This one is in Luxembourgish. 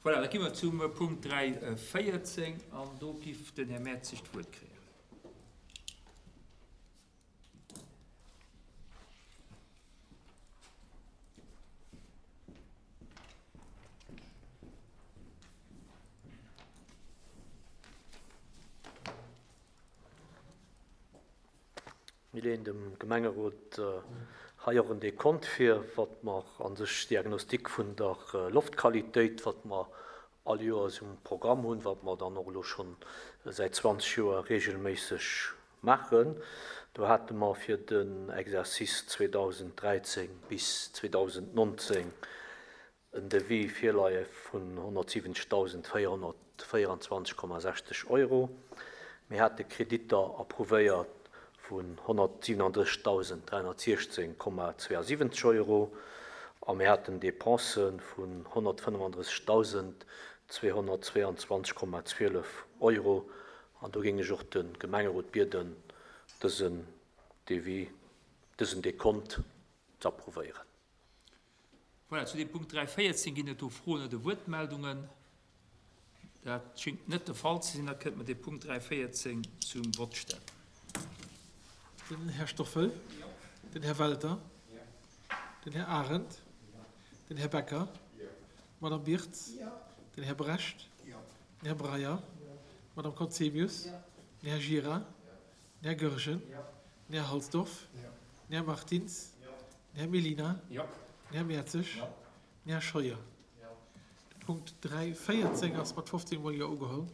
Voilà, da gi mer zum Punkt 3.14 an do giff den Här Mertzig d'Wuert kréien. Mir leeën dem Gemengerot hei och en Dekont vir, wat mer a sech Diagnostic vun der Loftqualitéit, wat mer all Joers um Programm hunn, wat mer dann och elo scho säit 20 Joer regelméisseg maachen. Do hate mer fir den Exercice 2013 bis 2019 en Devis virleie vun 170.424,60 Euro. Mir hate Kreditter approuvéiert vun 137.316,72 Euro a mir haten Dépensë vun 135.222,12 Euro. An do géing ech och de Gemengerot bieden, dësen Devis, dësen Dekont ze approuvéieren. Voilà, zu deem Punkt 3.14 ginn et do Froen oder Wuertmeldungen? Dat schéngt net de Fall ze sinn. Da kënnte mer dee Punkt 3.14 zum Vott stellen. Den Här Stoffel. Den Här Welter. Den Här Arendt. Den Här Becker. D'Madame Birtz. Den Här Brecht. Den Här Breyer. D'Madame Conzemius. Den Här Gira. Den Här Goergen. Den Här Halsdorf. Den Här Martins. Den Här Mellina. Den Här Mertzig. Den Här Scheuer. De Punkt 3.14 ass mat 15 mol Jo ugeholl.